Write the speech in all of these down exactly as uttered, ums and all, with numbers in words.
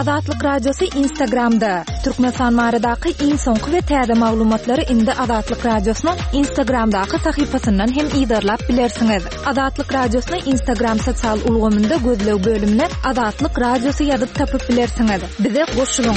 Azatlyk Radiosy Instagramda. Türkmenistan baradaky iň soňky we täze maglumatlary indi Azatlyk Radiosynyň Instagramdaky sahypasyndan hem yzarlap bilersiňiz. Azatlyk Radiosyny Instagram sosial ulgamynda gözleg bölümine Azatlyk Radiosy ýazyp tapyp bilersiňiz. Bize goşulyň.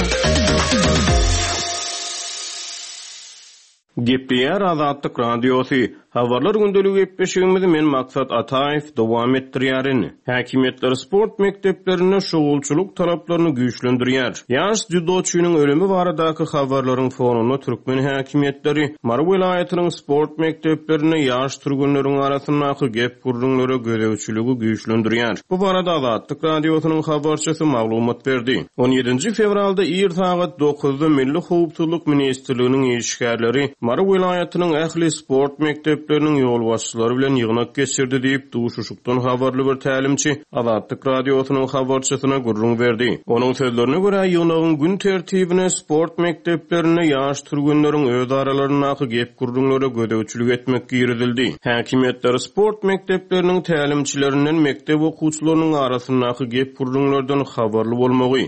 Gepleýär Azatlyk Radiosy. Habarlar gündeligi gepleşigimizi men Maksat Ataýew dowam etdirýärin. Häkimiýetler sport mekdeplerinde şugulçylyk talaplaryny güýçlendirýär. Ýaş dzýudoçynyň ölümi baradaky habarlaryň fonunda türkmen häkimiýetleri Mary welaýatynyň sport mekdeplerinde ýaş türgenleriň arasyndaky gep-gürrüňlere gözegçiligi güýçlendirýär. Bu barada Azatlyk Radiosynyň habarçysy maglumat berdi. On ýedinji fewralda ir sagat dokuzda Milli howpsuzlyk ministrliginiň işgärleri Mary welaýatynyň ähli sport mekdepleriniň ýolbaşçylary bilen ýygnak geçirdi diýip, duşuşykdan habarly bir tälimçi Azatlyk Radiosynyň habarçysyna gürrüň berdi. Onuň sözlerine görä, ýygnagyň gün tertibine sport mekdeplerinde ýaş türgenleriň öz aralaryndaky gep-gürrüňlere gözegçilik etmek girizildi. Häkimiýetler sport mekdepleriniň tälimçilerinden mekdep okuwçylarynyň arasyndaky gep-gürrüňlerden habarly bolmagy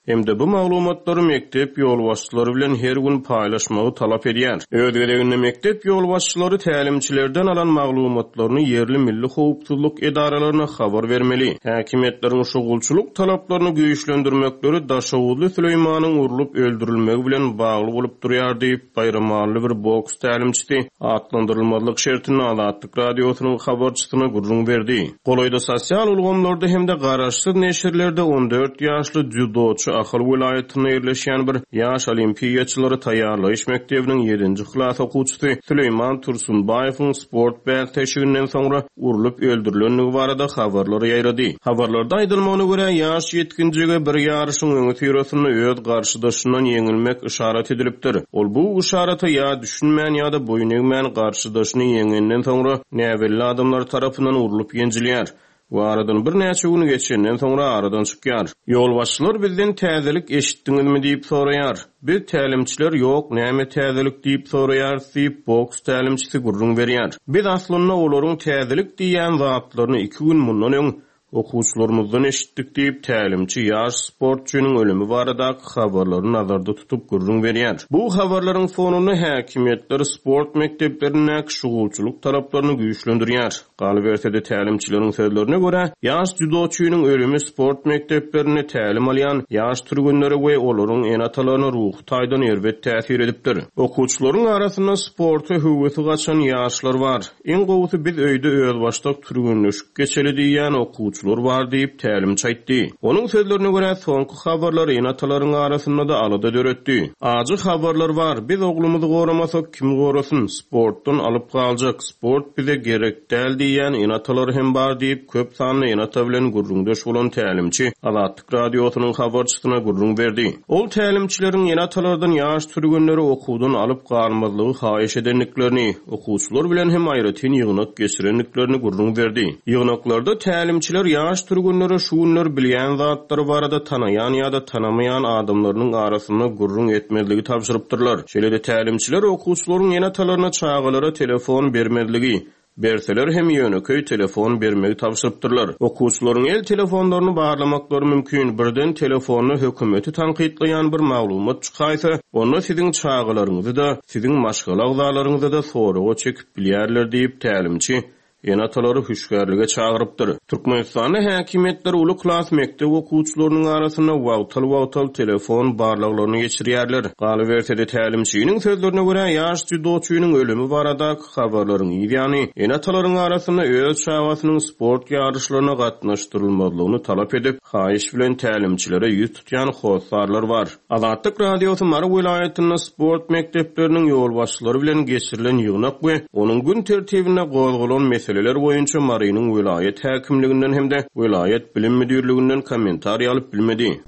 hem-de bu maglumatlary mekdep ýolbaşçylary bilen her gün paýlaşmagy talap edýär. Öz gezeginde mekdep ýolbaşçylary tälimçilerden alan maglumatlaryny ýerli milli howpsuzlyk edaralaryna habar bermeli. Häkimiýetleriň şugulçylyk talaplaryny güýçlendirmekleri Daşoguzly Süleýmanyň urlup öldürilmegi bilen bagly bolup durýar diýip, Baýramally bir boks tälimçisi atlandyrylmazlyk şertinde Azatlyk Radiosynyň habarçysyna gürrüň berdi. Golaýda sosial ulgamlarda hem-de garaşsyz neşirlerde on dört ýaşly dzýudoçy Ahal welaýatynda ýerleşýän bir ýaş olimpiýaçylary taýýarlaýyş mekdebiniň ýedinji klas okuwçysy Süleýman Tursunbaýewiň sport bäsleşiginden soňra urlup öldürilendigi barada habarlar ýaýrady. Habarlarda aýdylmagyna görä, ýaş ýetginjege bir ýaryşyň öňüsyrasynda öz garşydaşyndan ýeňilmek yşarat edilipdir. Ol bu yşarata ýa düşünmän ýa-da boýun egmän garşydaşyny ýeňenden soňra näbelli adamlar tarapyndan urlup ýenjilýär we aradan birnäçe gün geçenden soňra aradan çykýar. Ýolbaşçylar bizden täzelik eşitdiňizmi diýip soraýar. Biz tälimçiler ýok, näme täzelik diýip soraýarys diýip boks tälimçisi gürrüň berýär. Biz aslynda olaryň täzelik diýen zatlaryny iki gün mundan öň okuwçylarymyzdan eşitdik diýip tälimçi ýaş sportçynyň ölümi baradaky habarlary nazarda tutup gürrüň berýär. Bu habarlaryň fonunda häkimiýetler sport mekdeplerindäki şugulçylyk talaplaryny güýçlendirýär. Galyberse-de tälimçileriň sözlerine görä, ýaş dzýudoçynyň ölümi sport mekdeplerinde tälim alýan ýaş türgenlere we olaryň ene-atalaryna ruhy taýdan erbet täsir edipdir. Okuwçylaryň arasynda sporta höwesi gaçan ýaşlar bar. Iň gowusy biz öýde özbaşdak türgenleşik geçeli diýýän okuwçylar bar diýip tälimçi aýtdy. Onuň sözlerine görä, soňky habarlar ene-atalaryň arasynda da alada döretdi. Ajy habarlar bar. Biz oglumyzy goramasak kim gorasyn? Sportdan alyp galjak, sport bize gerek däl diýýän ene-atalar hem bar diýip köp sanly ene-ata bilen gürrüňdeş bolan tälimçi Azatlyk Radiosynyň habarçysyna gürrüň berdi. Ol tälimçileriň ene-atalardan ýaş türgenleri okuwdan alyp galmazlygy haýyş edendiklerini, okuwçylar bilen hem aýratyn ýygnak geçirendiklerini gürrüň berdi. Ýygnaklarda tälimçiler ýaş türgenlere şu günler bilýän zatlary barada tanaýan ýa-da tanamaýan adamlarynyň arasynda gürrüň etmezligi tabşyrypdyrlar. Şeýle-de tälimçiler okuwçylaryň ene-atalaryna çagalara telefon bermezligi, berseler hem ýönekeý telefon bermegi tabşyrypdyrlar. Okuwçylaryň el telefonlaryny barlamaklary mümkin. Birden telefonda hökümeti tankytlaýan bir maglumat çykaýsa, onda siziň çagalaryňyzy da, siziň maşgala agzalaryňyzy da soraga çekip bilýärler diýip tälimçi ene-atalary hüşgärlige çagyrypdyr. Türkmenistanda häkimiýetler uly klas mekdep okuwçylarynyň arasynda wagtal-wagtal telefon barlaglaryny geçirýärler. Galyberse-de tälimçiniň sözlerine görä, ýaş dzýudoçynyň ölümi baradaky habarlaryň ýany ene-atalaryň arasynda öz çagasynyň sport ýaryşlaryna gatnaşdyrylmazlygyny talap edip, haýyş bilen tälimçilere ýüz tutýan hossarlar bar. Azatlyk Radiosy Mary welaýatynda sport mekdepleriniň ýolbaşçylary bilen geçirilen ýygnak we onuň gün tertibinde gozgalan meseleler boýunça Marynyň welaýat häkimliginden hem-de welaýat bilim müdirliginden kommentariý alyp bilmedi.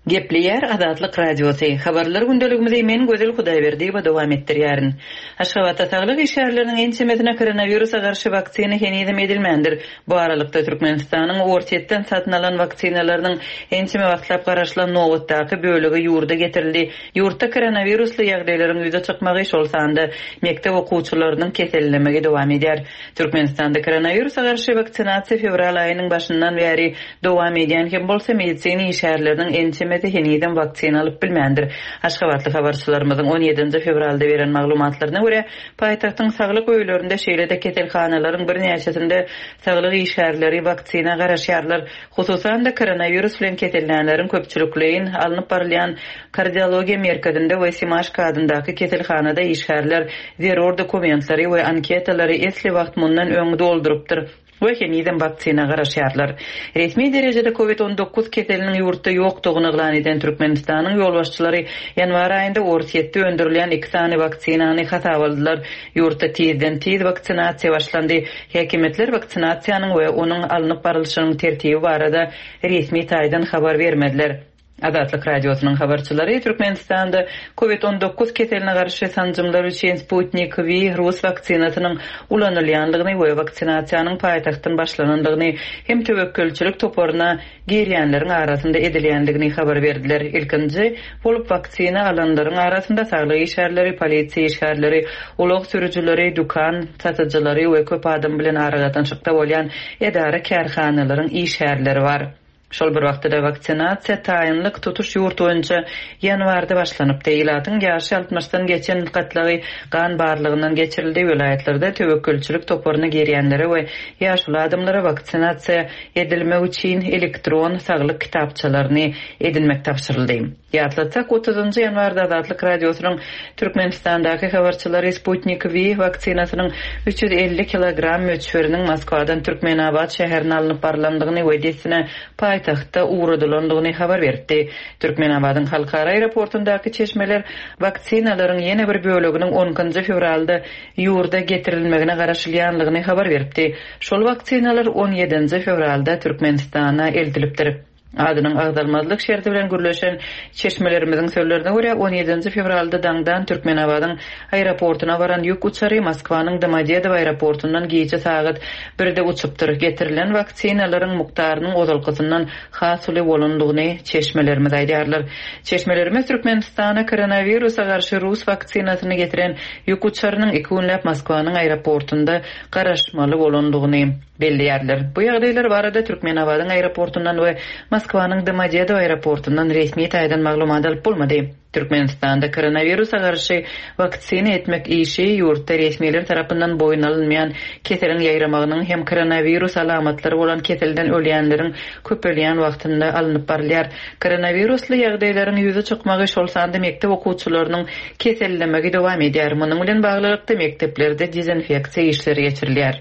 Gepleýär Azatlyk Radiosy. Habarlar gündeligimizi men Gözel Hudaýberdiýewa dowam etdirýärin. Aşgabatda saglyk işgärleriniň ençemesine koronawirusa garşy waksina henizem edilmändir. Bu aralykda Türkmenistanyň Orsýetden satyn alan waksinalarynyň ençeme wagtlap garaşylan nobatdaky bölegi ýurda getirildi. Ýurtda koronawirusly ýagdaýlaryň ýüze çykmagy, şol sanda mekdep okuwçylarynyň kesellemegi dowam edýär. Türkmenistanda koronawirusa garşy waksinasiýa fewral aýynyň başyndan bäri dowam edýän hem bolsa medisina işgärleriniň ençemesi henizem waksina alyp bilmändir. Aşgabatly habarçylarymyzyň on ýedinji fewralda beren maglumatlaryna görä, paýtagtyň saglyk öýlerinde şeýle-de keselhanalaryň birnäçesinde saglyk işgärleri waksina garaşýarlar. Hususan-da koronawirus bilen kesellänleriň köpçülikleýin alnyp barylýan kardiologiýa merkezinde we Simaşka adyndaky keselhanada işgärler zerur dokumentleri we anketalary esli wagt mundan öň doldurypdyr we henizem waksina garaşýarlar. Resmi derejede COVID on dokuz keseliniň ýurtda ýokdugyny yglan eden Türkmenistanyň ýolbaşçylary ýanwar aýynda Orsýetde öndürilýän iki sany waksinany hasaba aldylar. Ýurtda tizden tiz waksinasiýa başlandy. Häkimiýetler waksinasiýanyň we onuň alnyp barylyşynyň tertibi barada resmi taýdan habar bermediler. Azatlyk Radiosynyň habarçylary Türkmenistanda COVID on dokuz keseline garşy sanjymlar üçin Sputnik V rus waksinasynyň ulanylýandygyny we waksinasiýanyň paýtagtdan başlanandygyny hem töwekgelçilik toparyna girýänleriň arasynda edilýändigini habar berdiler. Ilkinji bolup waksina alanlaryň arasynda saglyk işgärleri, polisiýa işgärleri, ulag sürüjileri, dükan satyjylary we köp adam bilen aragatnaşykda bolýan edara kärhanalaryň işgärleri bar. Şol bir wagtda waksinasiýa taýynlyk tutuş ýurt boýunça ýanwarda başlanypdy. Ilatyň ýaşy altmyşdan geçen gatlagy gan barlygyndan geçirildi. Welaýatlarda töwekgelçilik toparyna girýänlere we ýaşly adamlara waksinasiýa edilmek üçin elektron saglyk kitapçalaryny edinmek tabşyryldy. Ýatlatsak, otuzynjy ýanwarda Azatlyk Radiosynyň Türkmenistandaky habarçylary Sputnik V waksinasynyň üç ýüz elli kilogram möçberiniň Moskwadan Türkmenabat şäherine alnyp barylandygyny we dessine paýtagtda ugradylandygyny habar berdi. Türkmenabadyň halkara aeroportundaky çeşmeler waksinalaryň ýene bir böleginiň on ikinji fewralda ýurda getirilmegine garaşylýandygyny habar berdi. Şol waksinalar on ýedinji fewralda Türkmenistana eltilipdir. Adynyň agzalmazlyk şerti bilen gürleşen çeşmelerimiziň sözlerine görä on ýedinji fewralda daňdan Türkmenabadyň aeroportuna baran ýük uçary Moskwanyň Domodedowo aeroportundan gije sagat birde uçupdyr. Getirilen waksinalaryň mukdarynyň ozalkysyndan has uly bolandygyny çeşmelerimiz aýdýarlar. Çeşmelerimiz Türkmenistana koronawirusa garşy rus waksinasyny getiren ýük uçarynyň iki günläp Moskwanyň aeroportunda garaşmaly bolandygyny belleýärler. Bu ýagdaýlar barada Türkmenabadyň aeroportundan we Moskwanyň Domodedowo aeroportundan resmi taýdan maglumat alyp bolmady. Türkmenistanda koronawirusa garşy waksina etmek işi ýurtda resmiler tarapyndan boýun alynmaýan keseliň ýaýramagynyň hem koronawirus alamatlary bolan keselden ölýänleriň köpelýän wagtynda alnyp barylýar. Koronawirusly ýagdaýlaryň ýüze çykmagy şol sanda mekdep okuwçylarynyň kesellemegi dowam edýär. Munuň bilen baglylykda mekdeplerde dezinfeksiýa işleri geçirilýär.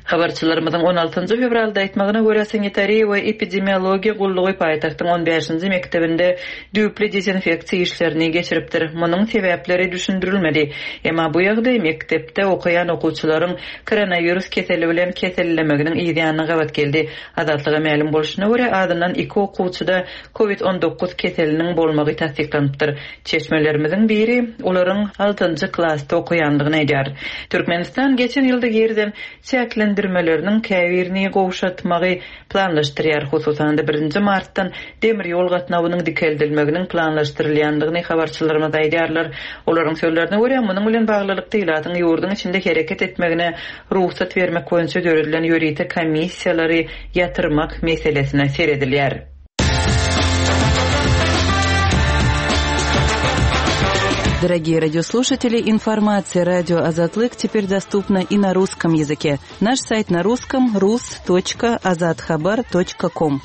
Habarçylarymyzyň on altynjy fewralda aýtmagyna görä sanitariýa we epidemiologiýa gullugy paýtagtyň on bäşinji mekdebinde düýpli dezinfeksiýa işlerini geçiripdir. Munuň sebäpleri düşündirilmedi. Emma bu ýagdaý mekdepde okaýan okuwçylaryň koronawirus keseli bilen kesellemeginiň ýanyna gabat geldi. Azatlyga mälim bolşuna görä adyndan iki okuwçyda COVID on dokuz keseliniň bolmagy tassyklanypdyr. Çeşmelerimiziň biri olaryň altynjy klasda okaýandygyny aýdýar. Türkmenistan geçen ýylda girizen çäklendirmeleriniň käbirini gowşatmagy planlaşdyrýar. Hususan-da birinji martdan demir ýol gatnawynyň dikeldilmeginiň planlaşdyrylýandygyny habarçylarymyz aýdýarlar. Olaryň sözlerine görä munuň bilen baglylykda ilatyň ýurduň içinde hereket etmegine rugsat bermek boýunça döredilen ýörite komissiýalary ýatyrmak meselesine seredilýär. Дорогие радиослушатели, информация радио Азатлык теперь доступна и на русском языке. Наш сайт на русском рус точка азатхабар точка ком.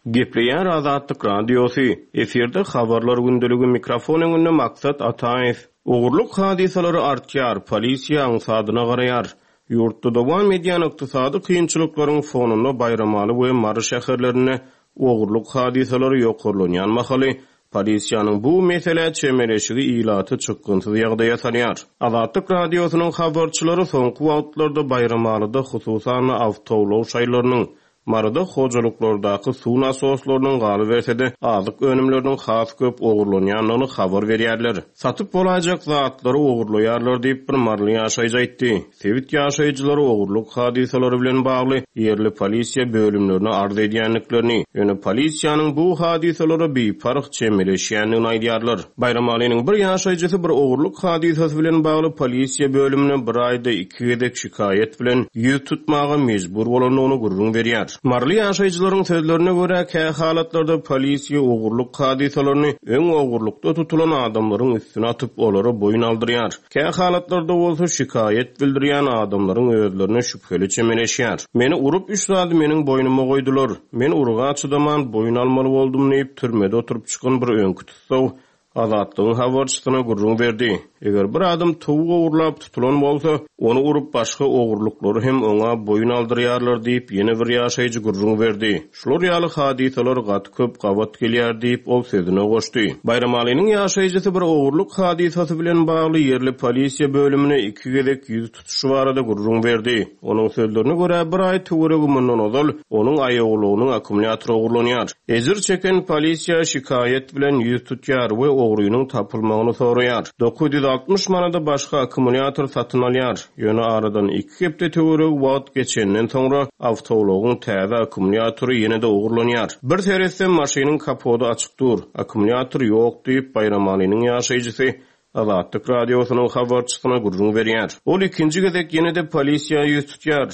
Gepleýär Azatlyk Radiosy. Efirde habarlar gündeligi mikrofon öňünde Maksat Ataýew. Ogurlyk hadysalary artýar, polisiýa aňsadyna garaýar. Ýurtda dowam edýän ykdysady kynçylyklaryň fonunda Baýramaly we Mary şäherlerinde ogurlyk hadysalary ýokarlanýan mahaly Polisiýanyň bu meselä çemeleşigi ilaty çykgynsyz ýagdaýa salýar. Azatlyk Radiosynyň habarçylary soňky wagtlarda Baýramalyda hususan awtoulag şaýlarynyň, Maryda hojalyklardaky suw nasoslarynyň galyberse-de azyk önümleriniň has köp ogurlanýandygyny habar berýärler. Satyp bolaýjak zatlary ogurlaýarlar diýip bir maryly ýaşaýjy aýtdy. Sebit ýaşaýjylary ogurlyk hadysalary bilen bagly ýerli polisiýa bölümlerine arz edýändiklerini, ýöne polisiýanyň bu hadysalara biparh çemeleşýändigini aýdýarlar. Baýramalynyň bir ýaşaýjysy bir ogurlyk hadysasy bilen bagly polisiýa bölümine bir aýda iki gezek şikaýat bilen ýüz tutmaga mejbur bolandygyny gürrüň berýär. Maryly ýaşaýjylaryň sözlerine görä kä halatlarda polisiýa ogurlyk hadysalaryny öň ogurlykda tutulan adamlaryň üstüne atyp olara boýun aldyrýar. Kä halatlarda bolsa şikaýat bildirýän adamlaryň özlerine şübheli çemeleşýär. Meni urup üç zady meniň boýnuma goýdular. Men urga çydaman boýun almaly boldum diýip türmede oturyp çykan bir öňki tutsaw Azatlygyň habarçysyna gürrüň berdi. Eger bir adam towuk ogurlap tutulan bolsa, ony urup başga ogurlyklary hem oňa boýun aldyrýarlar diýip ýene bir ýaşaýjy gürrüň berdi. Şular ýaly hadysalar gaty köp gabat gelýär diýip ol sözüne goşdy. Baýramalynyň ýaşaýjysy bir ogurlyk hadysasy bilen bagly ýerli polisiýa bölümine iki gezek ýüz tutuşy barada gürrüň berdi. Onuň sözlerine görä bir aý töweregi mundan ozal onuň aýagulagynyň akkumulýatory ogurlanýar. Ejir çeken polisiýa şikaýat bilen ýüz tutýar we ogrynyň tapylmagyny soraýar. dokuz ýüz altmyş manada başga akkumulýator satyn alýar. Ýöne aradan iki hepde töweregi wagt geçenden soňra awtoulagyň täze akkumulýatory ýene-de ogurlanýar. Bir seretsem maşynyň kapody açyk dur. Akkumulýator ýok diýip Baýramalynyň ýaşaýjysy Azatlyk Radiosynyň habarçysyna gürrüň berýär. Ol ikinji gezek ýene-de polisiýa ýüz tutýar.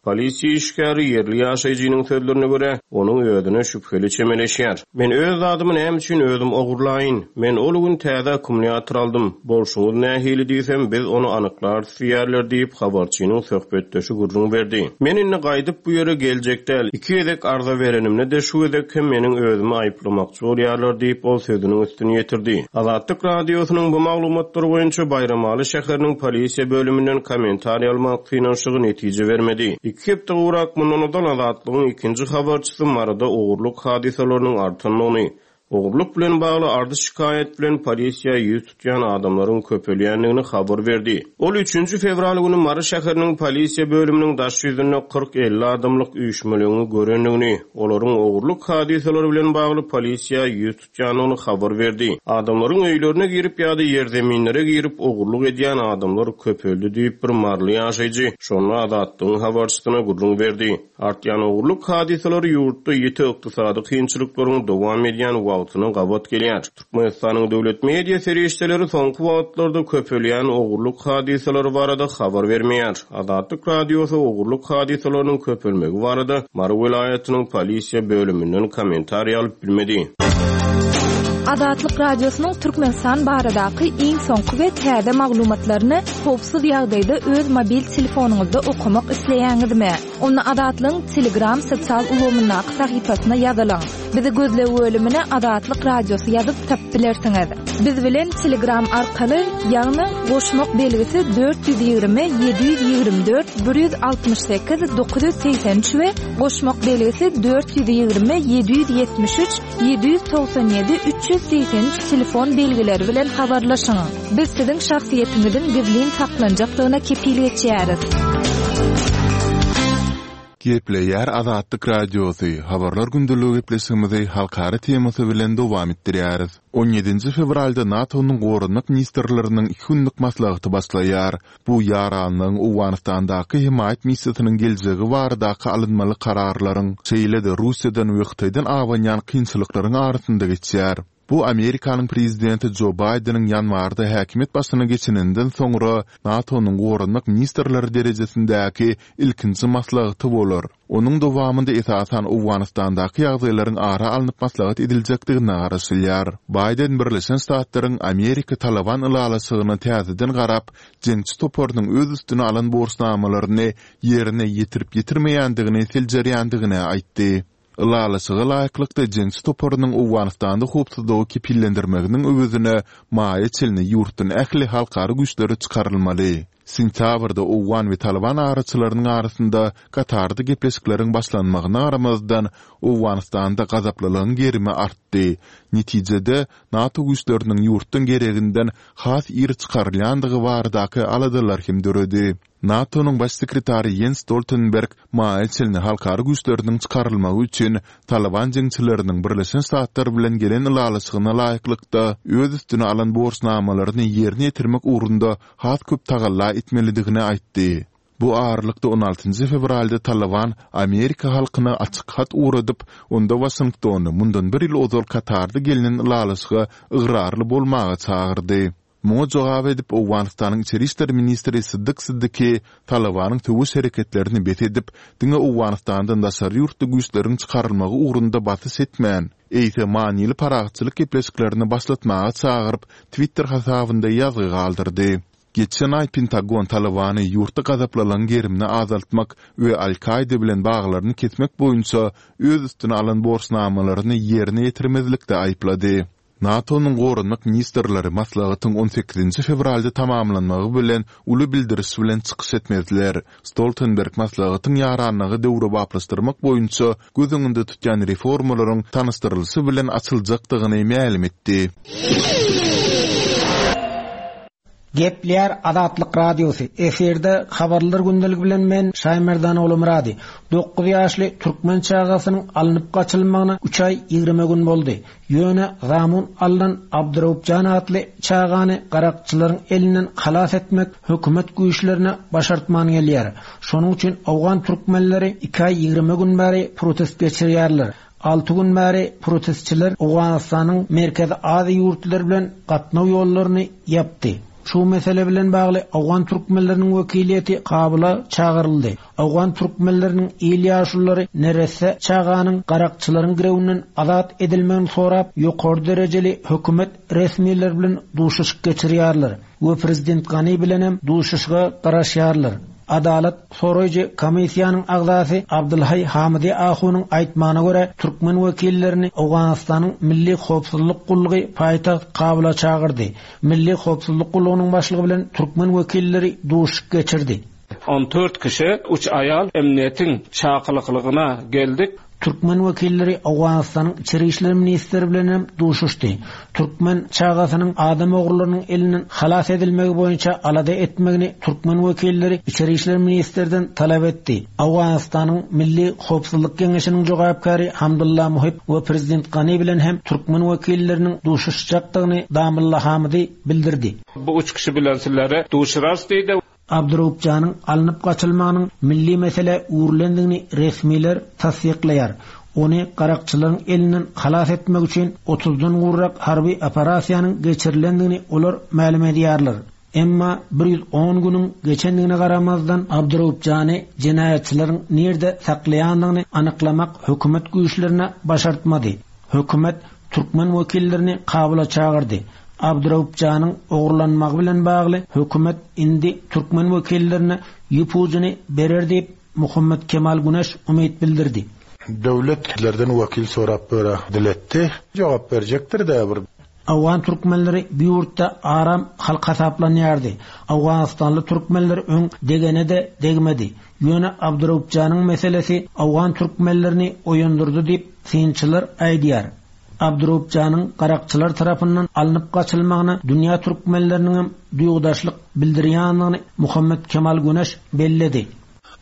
Polisiýa işgäri ýerli ýaşaýjynyň sözlerine görä onuň özüne şübheli çemeleşýär. Men öz zadymy näme üçin özüm ogurlaýyn? Men ol gün täze akkumulýator aldym. Bolşuňyz nähili diýsem, biz ony anyklarys diýerler diýip habarçynyň söhbetdeşi gürrüň berdi. Men indi gaýdyp bu ýere geljek däl. Iki gezek arza berenimde de şu gezek hem meniň özümi aýyplamakçy bolýarlar diýip ol sözüniň üstüni ýetirdi. Azatlyk Radiosynyň bu maglumatlary boýunça Baýramaly şäheriniň polisiýa bölüminden kommentariý almak synanyşygy netije bermedi. Iki hepde gowrak mundan ozal Azatlygyň ikinji habarçysy Maryda ogurlyk hadysalarynyň artandygyny, ogurlyk bilen bagly ardy şikaýat bilen polisiýa ýüz tutýan adamlaryň köpelýändigini habar berdi. Ol üçünji fewral güni Mary şäheriniň polisiýa bölüminiň daş ýüzünde kyrk elli adamlyk üýşmeleňini görendigini, olaryň ogurlyk hadysalary bilen bagly polisiýa ýüz tutýandygyny habar berdi. Adamlaryň öýlerine girip ýa-da ýerzeminlere girip ogurlyk edýän adamlar köpeldi diýip bir maryly ýaşaýjy şonda Azatlygyň habarçysyna gürrüň berdi. Artýan ogurlyk hadysalary ýurtda ýiti ykdysady kynçylyklaryň dowam edýän wagtyna gabat gelýär. Türkmenistanyň döwlet media serişdeleri soňky wagtlarda köpelýän ogurlyk hadysalary barada habar bermeýär. Azatlyk Radiosy ogurlyk hadysalarynyň köpelmegi barada Mary welaýatynyň polisiýa bölüminden kommentariý alyp bilmedi. Azatlyk Radiosynyň Türkmenistan baradaky iň soňky we täze maglumatlaryny howpsuz ýagdaýda öz mobil telefonyňyzda okamak isleýäňizmi? Onda Azatlygyň Telegram sosial ulgamyndaky sahypasyna ýazylyň. Bizi gözleg bölümine Azatlyk Radiosy ýazyp tapyp bilersiňiz. Biz bilen Telegram arkaly, ýagny goşmak belgisi dört ýüz ýigrimi ýedi ýüz ýigrimi dört bir ýüz altmyş sekiz dokuz ýüz segsen üç we goşmak belgisi dört ýüz ýigrimi ýedi ýüz ýetmiş üç ýedi ýüz togsan ýedi üç ýüz segsen üç telefon belgileri bilen habarlaşyň. Biz siziň şahsyýetiňiziň gizlin saklanjakdygyna kepil geçýäris. Gepleýär Azatlyk Radiosy. Habarlar gündeligi gepleşigimizi halkara temasy bilen dowam etdirýäris. on ýedinji fewralda NATO-nyň goranmak ministrleriniň iki günlük maslahaty başlaýar. Bu ýaranlygyň Owganystandaky hemaýat missiýasynyň geljegi baradaky alynmaly kararlaryň, şeýle-de Russiýadan we Hytaýdan abanýan kynçylyklaryň arasynda geçýär. Bu Amerikanyň prezidenti Joe Bideniň ýanwarda häkimiýet başyna geçeninden soňra NATO-nyň goranmak ministrleri derejesindäki ilkinji maslahaty bolar. Onuň dowamynda esasan Owganystandaky ýagdaýlaryň ara alnyp maslahat ediljekdigine garaşylýar. Biden Birleşen Ştatlaryň Amerika Taliban ylalaşygyna täzeden garap, jeňçi toparynyň öz üstüne alan borçnamalaryny ýerine ýetirip ýetirmeýändigini seljerýändigini aýtdy. Ylalaşyga laýyklykda jeňçi toparynyň Owganystanda howpsuzlygy kepillendirmeginiň öwezine maýa çenli ýurtdan ähli halkara güýçleri çykarylmaly. Sentýabrda owgan we Talyban araçylarynyň arasynda Katarda gepleşikleriň başlanmagyna garamazdan, Owganystanda gazaplylygyň gerimi artdy. Netijede, NATO güýçleriniň ýurtdan gereginden has ir çykarylýandygy baradaky aladalar hem döredi. NATO-nyň baş sekretary Ýens Stoltenberg maýa çenli halkara güýçleriniň çykarylmagy üçin Talyban jeňçileriniň Birleşen Ştatlar bilen gelen ylalaşygyna laýyklykda öz üstüne alan borçnamalaryny ýerine ýetirmek ugrunda has köp tagalla etmelidigini aýtdy. Bu aralykda on altynjy fewralda Talyban Amerika halkyna açyk hat ugradyp, onda Waşingtony mundan bir ýyl ozal Katarda gelnen ylalaşyga ygrarly bolmaga çagyrdy. Muňa jogap edip, Owganystanyň içeri işler ministri Siddik Siddiki Talybanyň söweş hereketlerini bes edip, diňe Owganystandan daşary ýurtly güýçleriň çykarylmagy ugrunda basyş etmän, eýse manyly parahatçylyk gepleşiklerini başlatmaga çagyryp, Twitter hasabynda ýazgy galdyrdy. Geçen aý Pentagon Talybany ýurtda gazaplylygyň gerimini azaltmak we Al-Kaýda bilen baglaryny kesmek boýunça öz üstüne alan borçnamalaryny ýerine ýetirmezlikde aýyplady. NATO-nyň goranmak ministrleri maslahatyň on sekizinji fewralda tamamlanmagy bilen uly bildiriş bilen çykyş etmezler. Stoltenberg maslahatyň ýaranlygy döwrebaplaşdyrmak boýunça göz öňünde tutýan reformalaryň tanyşdyrylyşy bilen açyljakdygyny mälim etdi. Gepleýär Azatlyk Radiosy. Efirde habarlar gündeligi bilen men Şaýmerdan Oglumyrady. Dokuz ýaşly türkmen çagasynyň alnyp gaçylmagyna üç aý ýigrimi gün boldy. Ýöne zamun alnan Abduraupjan atly çagany garakçylaryň elinden halas etmek hökümet güýçlerine başartman gelýär. Şonuň üçin owgan türkmenleri iki aý ýigrimi gün bäri protest geçirýärler. Alty gün bäri protestçiler Owganystanyň Merkezi Aziýa ýurtlary bilen gatnaw ýollaryny ýapdy. Şu mesele bilen bagly Owgan türkmenleriniň wekiliýeti Kabula çagyryldy. Owgan türkmenleriniň il ýaşululary neresse çaganyň garakçylaryň girewinden azat edilmegini sorap, ýokary derejeli hökümet resmileri bilen duşuşyk geçirýärler we prezident Gani bilen hem duşuşyga garaşýarlar. Adalat soraýjy komissiýanyň agzasy Abdulhay Hamidi Ahunyň aýtmagyna görä, türkmen wekillerini Owganystanyň Milli Howpsuzlyk Gullugy paýtagt Kabula çagyrdy. Milli Howpsuzlyk Gullugynyň başlygy bilen türkmen wekilleri duşuşyk geçirdi. On dört kişi, üç aýal emniýetiň çakylyklygyna geldik. Türkmen wekilleri Owganystanyň İçeri işler ministri bilen hem duşuşdy. Türkmen çagasynyň adam ogurlarynyň elinden halas edilmegi boýunça alada etmegini türkmen wekilleri İçeri işler ministrden talap etdi. Owganystanyň Milli Howpsuzlyk Geňeşiniň jogapkary Hamdullah Muhib we prezident Gani bilen hem türkmen wekilleriniň duşuşjakdygyny Damullah Hamidi bildirdi. Bu üç kişi bilen sizlere duşurarys diýdi. Abduraupjanyň alnyp gaçylmagynyň milli mesele öwrülendigini resmiler tassyklaýar. Ony garakçylaryň elinden halas etmek üçin otuzdan gowrak harby operasiýanyň geçirilendigini olar mälim edýärler. Emma bir ýüz on günüň geçendigine garamazdan Abduraupjany jenaýatçylaryň nirde saklaýandygyny anyklamak hökümet güýçlerine başartmady. Hökümet türkmen wekillerini Kabula çagyrdy. Abduraupjanyň ogurlanmagy bilen bagly hökümet indi türkmen wekillerine ýüpujyny berer diýip Muhammed Kemal Güneş umyt bildirdi. Döwletlerden wekil sorap böre diletdi. Jogap berjekdir de bir. Awgan türkmenleri bu ýurtda aram halk hasaplanýardy. Awganistanly türkmenler öň degene de degmedi. Ýöne Abduraupjanyň meselesi Awgan türkmenlerini oýandyrdy diýip synçylar aýdýar. Abduraupjanyň garakçylar tarapyndan alnyp gaçylmagyna dünýä türkmenleriniň hem duýgudaşlyk bildirýändigini Muhammed Kemal Güneş belledi.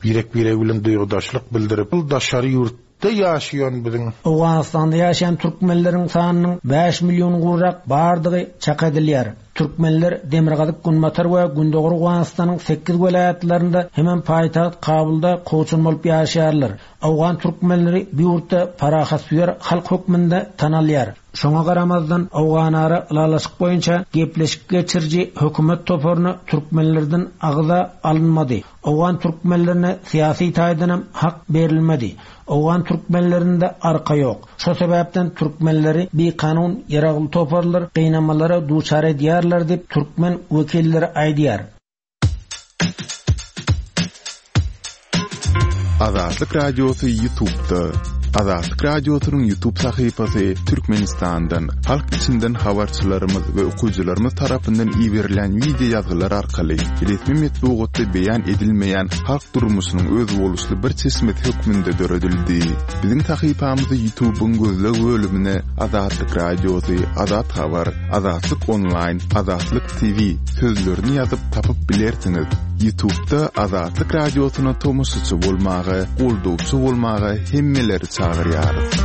Birek birek bilen duýgudaşlyk bildirip, daşary ýurtda ýaşaýan biziň Owganystanda ýaşaýan türkmenleriň sanynyň bäş million gowrak bardygy çak edilýär. Türkmenler Demirgazyk, Günbatar we Gündogar Owganystanyň sekiz welaýatlarynda hemem paýtagt Kabulda kowçum bolup ýaşaýarlar. Owgan türkmenleri bu ýurtda parahatsöýer halk hökmünde tanalýar. Şoňa garamazdan Owganara ylalaşyk boýunça gepleşik geçiriji hökümet toparyna türkmenlerden agza alynmady. Owgan türkmenlerine syýasy taýdan hem hak berilmedi. Owgan türkmenlerinde arka ýok. Şo sebäpden türkmenleri bikanun ýaragly toparlar gynamalara duçar edýärler diýip türkmen wekilleri aýdýar. Azatlyk Radiosy YouTube'da. Azatlyk Radiosynyň YouTube sahypasy Türkmenistandan, halk içinden habarçylarymyz we okyjylarymyz tarapyndan iberilen wideo ýazgylar arkaly resmi metbugatda beýan edilmeýän halk durmuşynyň özboluşly bir çeşmesi hökmünde döredildi. Biziň sahypamyzy YouTube'yň gözleg bölümine Azatlyk Radiosy, Azat Habar, Azatlyk Online, Azatlyk T V sözlerini ýazyp tapyp bilersiňiz. YouTube'da Azatlyk Radiosyna tomaşaçy bolmaga, goldawçy bolmaga hemmeleri çagyrýarys.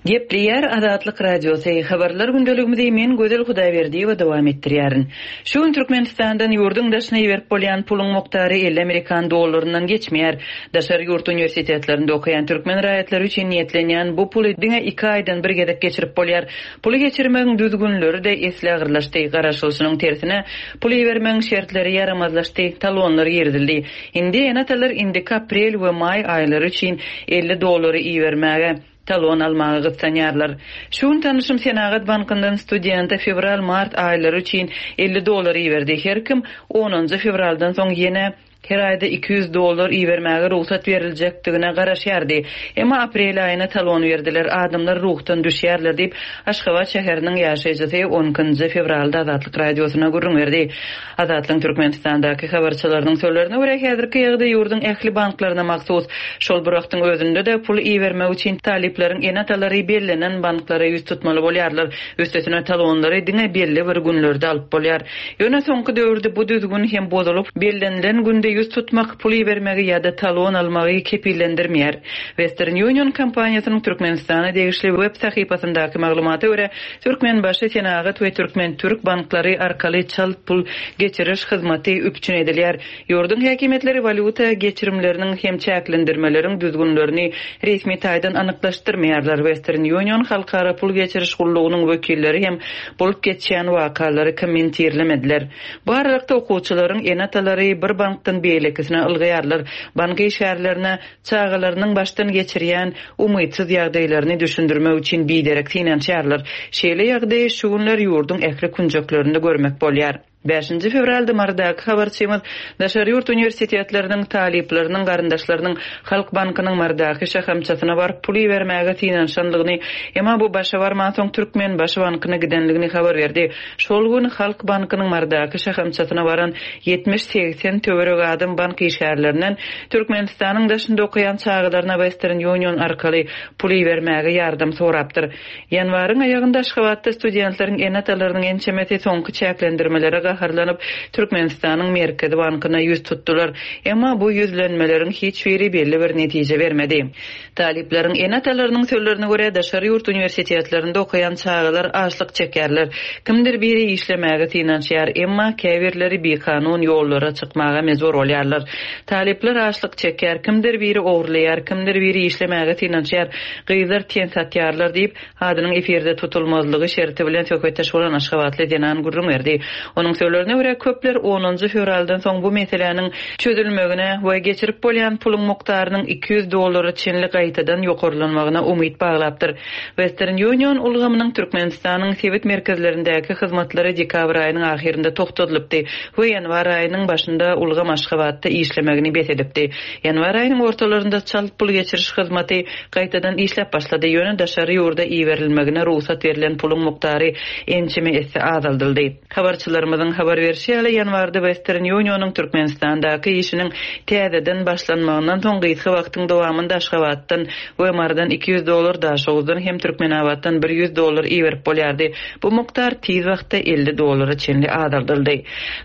Gepleýär Azatlyk Radiosy, habarlar gündeligimizi men Gözel Hudaýberdiýewa dowam etdirýärin. Şu gün Türkmenistandan ýurduň daşyna iberip bolýan puluň mukdary elli Amerikan dollaryndan geçmeýär. Daşary ýurt uniwersitetlerinde okaýan türkmen raýatlary üçin niýetlenýän bu puly diňe iki aýdan bir gezek geçirip bolýar. Puly geçirmegiň düzgünleri-de esli agyrlaşdy. Garaşylyşynyň tersine pul ibermegiň şertleri ýaramazlaşdy, talonlar girizildi. Indi ene-atalar indiki aprel we maý aýlary üçin elli dollary ibermäge talon almaga gytsanýarlar. Şu gün tanışym Senagat bankyndan studente fevral-mart aýlary üçin elli dollar iberdi. Her kim onunjy fevraldan soň ýene her aýda iki ýüz dollar ibermäge rugsat beriljekdigine garaşýardy. Emma aprel aýyna talon berdiler. Adamlar ruhdan düşýärler diýip Aşgabat şäheriniň ýaşaýjysy on ikinji fevralda Azatlyk Radiosyna gürrüň berdi. Azatlyk Türkmenistandaky habarçylarynyň sözlerine görä häzirki ýagdaý ýurduň ähli banklaryna mahsus. Şol bir wagtyň özünde-de pul ibermek üçin talyplaryň ene-atalary bellenen banklara ýüz tutmaly bolýarlar. Üstesine talonlary diňe belli bir günlerde alyp bolýar. Ýöne soňky döwürde bu düzgün hem bozulyp, bellenilen günde ýüz tutmak, pul ibermegi ýa-da talon almagy kepillendirmeýär. Western Union kompaniýasynyň Türkmenistana degişli web sahypasyndaky maglumata görä, Türkmenbaşy Senagat we Türkmen Türk banklary arkaly çalt pul geçiriş hyzmaty üpjün edilýär. Ýurduň häkimiýetleri walýuta geçirimleriniň hem çäklendirmeleriň düzgünlerini resmi taýdan anyklaşdyrmaýarlar. Western Union halkara pul geçiriş gullugynyň wekilleri hem bolup geçýän wakalary kommentirlemediler. Bu aralykda okuwçylaryň ene-atalary bir bankdan beýlekisine ylgaýarlar. Bank işgärlerine çagalarynyň başdan geçirýän umytsyz ýagdaýlaryny düşündirmek üçin biderek synanyşýarlar. Şeýle ýagdaýy şu günler ýurduň ähli künjeklerinde görmek bolýar. Beşinji fevralda Mardaky habarçymyz daşary ýurt uniwersitetleriniň talyplarynyň garyndaşlarynyň Halk Bankynyň Mardaky şahamçasyna baryp pul ibermäge synanyşanlygyny, emma bu başa barman soň Türkmenbaşy bankyna gidenligini habar berdi. Şol gün Halk Bankynyň Mardaky şahamçasyna baran ýetmiş segsen töwerek adam bank işgärlerinden Türkmenistanyň daşynda okaýan çagalaryna Western Union arkaly pul ibermäge ýardam sorapdyr. Ýanwaryň aýagynda Aşgabatda studentleriň ene-atalarynyň ençemesi soňky çäklendirmelere gaharlanyp Türkmenistanyň Merkezi Bankyna ýüz tutdular. Emma bu ýüzlenmeleriň hiç biri belli bir netije bermedi. Talyplaryň ene-atalarynyň sözlerine görä daşary ýurt uniwersitetlerinde okaýan çagalar açlyk çekerler. Kimdir biri işlemäge synanyşýar, emma käbirleri bikanun ýollara çykmaga mejbur bolýarlar. Talyplar açlyk çeker, kimdir biri ogurlaýar, kimdir biri işlemäge synanyşýar, gyzlar ten satýarlar diýip, adynyň efirde tutulmazlygy şerti bilen söhbetdeş bolan Aşgabatly zenan gürrüň berdi. Onuň sözlerine görä köpler onunjy fevraldan soň bu meseläniň çözülmegine we geçirip bolýan puluň mukdarynyň iki ýüz dollara çenli gaýtadan ýokarlanmagyna umyt baglapdyr. Western Union ulgamynyň Türkmenistanyň sebit merkezlerindäki hyzmatlary dekabr aýynyň ahyrynda toxtadylypdy we ýanwar aýynyň başynda ulgam Aşgabatda işlemegini bes edipdi. Ýanwar aýynyň ortalarynda çalt pul geçiriş hyzmaty gaýtadan işläp başlady. Ýöne daşary ýurda iberilmegine rugsat berlen puluň mukdary ençeme esse azaldyldy. Habarçylarymyzyň habar berişi ýaly ýanwarda Western Union'yň Türkmenistandaky işiniň täzeden başlanmagyndan soň gysga wagtyň dowamynda Aşgabatdan we Mardan iki ýüz dollar, Daşoguzdan hem Türkmenabatdan bir ýüz dollar iberip bolýardy. Bu mukdar tiz wagtda elli dollara çenli azaldyldy.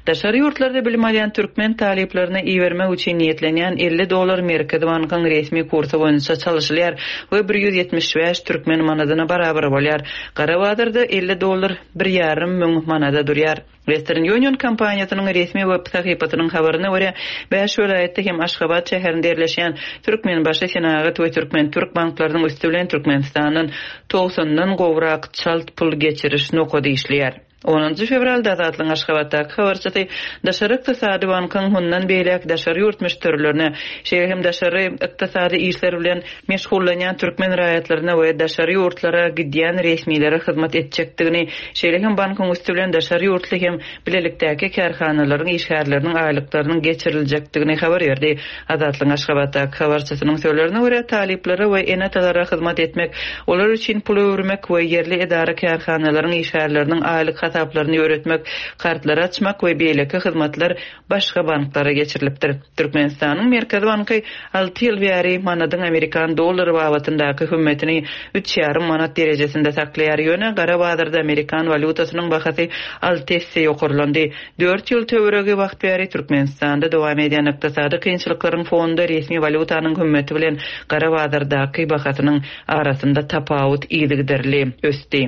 Daşary ýurtlarda bilim alýan türkmen talyplaryna ibermek üçin niýetlenýän elli dollar Merkezi Bankyň resmi kursy boýunça çalyşylýar we bir ýüz ýetmiş bäş türkmen manadyna barabar bolýar. Gara bazarda elli dollar bir ýarym müň manada durýar. Western Union kompaniýasynyň resmi web sahypasynyň habaryna görä, bäş welaýatda hem Aşgabat şäherinde ýerleşýän Türkmenbaşy Senagat we Türkmen Türk banklarynyň üsti bilen Türkmenistandan togsandan gowrak çalt pul geçiriş nokady işleýär. Onunjy fewralda Azatlygyň Aşgabatdaky habarçysy Daşary ykdysady bankyň mundan beýläk daşary ýurt müşderilerine, şeýle hem daşary ykdysady işler bilen meşgullanýan türkmen raýatlaryna we daşary ýurtlara gidýän resmilere hyzmat etjekdigini, şeýle hem bankyň üsti bilen daşary ýurtly hem bilelikdäki kärhanalaryň işgärleriniň aýlyklarynyň geçiriljekdigini habar berdi. Azatlygyň Aşgabatdaky habarçysynyň sözlerine görä, talyplara we ene-atalara hyzmat etmek, olar üçin pul öwürmek we ýerli edara-kärhanalaryň işgärleriniň aýlyk hasaplaryny ýöretmek, kartlary açmak we beýleki hyzmatlar başga banklara geçirilipdir. Türkmenistanyň Merkezi banky alty ýyl bäri manadyň amerikan dollary babatyndaky hümmetini üç ýarym manat derejesinde saklaýar, ýöne gara bazarda amerikan walýutasynyň bahasy alty esse ýokarlandy. Dört ýyl töweregi wagt bäri Türkmenistanda dowam edýän ykdysady kynçylyklaryň fonunda resmi walýutanyň hümmeti bilen gara bazardaky bahasynyň arasynda tapawut yzygiderli ösdi.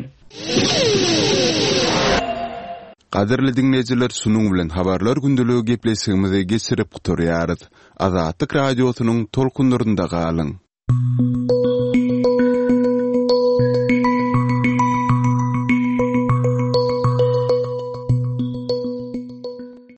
Gadyrly diňleýjiler, şunuň bilen Habarlar gündeligi gepleşigimizi geçirip gutarýarys. Azatlyk Radiosynyň tolkunlarynda galyň.